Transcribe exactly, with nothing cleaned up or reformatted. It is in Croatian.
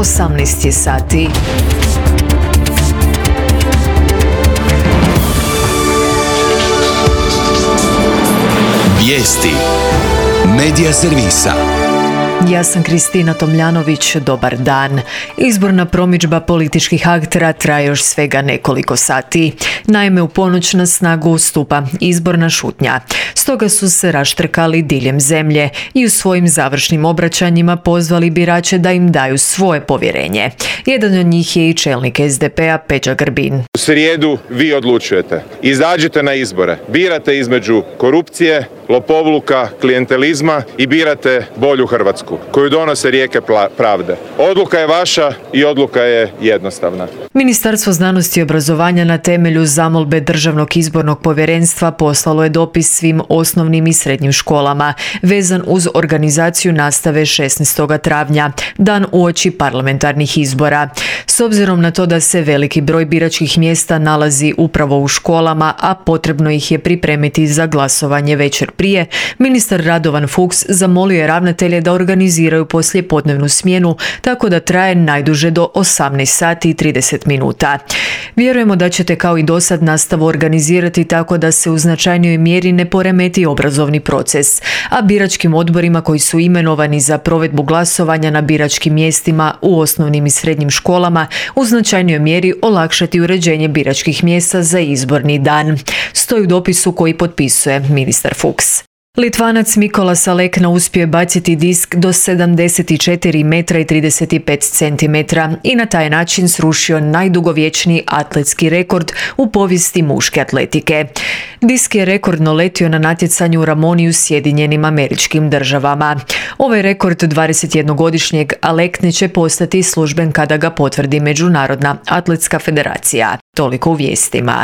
osamnaest je sati. Vijesti Medija servisa. Ja sam Kristina Tomljanović, dobar dan. Izborna promidžba političkih aktera traje još svega nekoliko sati. Naime, u ponoć na snagu stupa izborna šutnja. Stoga su se raštrkali diljem zemlje i u svojim završnim obraćanjima pozvali birače da im daju svoje povjerenje. Jedan od njih je i čelnik es de pe a Peđa Grbin. U srijedu vi odlučujete. Izađite na izbore. Birate između korupcije, lopovluka, klijentelizma i birate bolju Hrvatsku, koju donose rijeke pravde. Odluka je vaša i odluka je jednostavna. Ministarstvo znanosti i obrazovanja na temelju zamolbe Državnog izbornog povjerenstva poslalo je dopis svim osnovnim i srednjim školama vezan uz organizaciju nastave šesnaestog travnja, dan uoči parlamentarnih izbora. S obzirom na to da se veliki broj biračkih mjesta nalazi upravo u školama, a potrebno ih je pripremiti za glasovanje večer prije, ministar Radovan Fuchs zamolio je ravnatelje da organiziraju poslijepodnevnu smjenu tako da traje najduže do osamnaest sati i trideset minuta. Vjerujemo da ćete kao i dosad nastavu organizirati tako da se u značajnijoj mjeri ne poremeti obrazovni proces, a biračkim odborima koji su imenovani za provedbu glasovanja na biračkim mjestima u osnovnim i srednjim školama u značajnijoj mjeri olakšati uređenje biračkih mjesta za izborni dan. Stoji u dopisu koji potpisuje ministar Fuchs. Litvanac Mikola Salekna uspio je baciti disk do sedamdeset četiri metra i trideset pet centimetara i na taj način srušio najdugovječniji atletski rekord u povijesti muške atletike. Disk je rekordno letio na natjecanju u Ramoni u Sjedinjenim Američkim Državama. Ovaj rekord dvadesetjednogodišnjeg Alekne će postati služben kada ga potvrdi Međunarodna atletska federacija. Toliko u vijestima.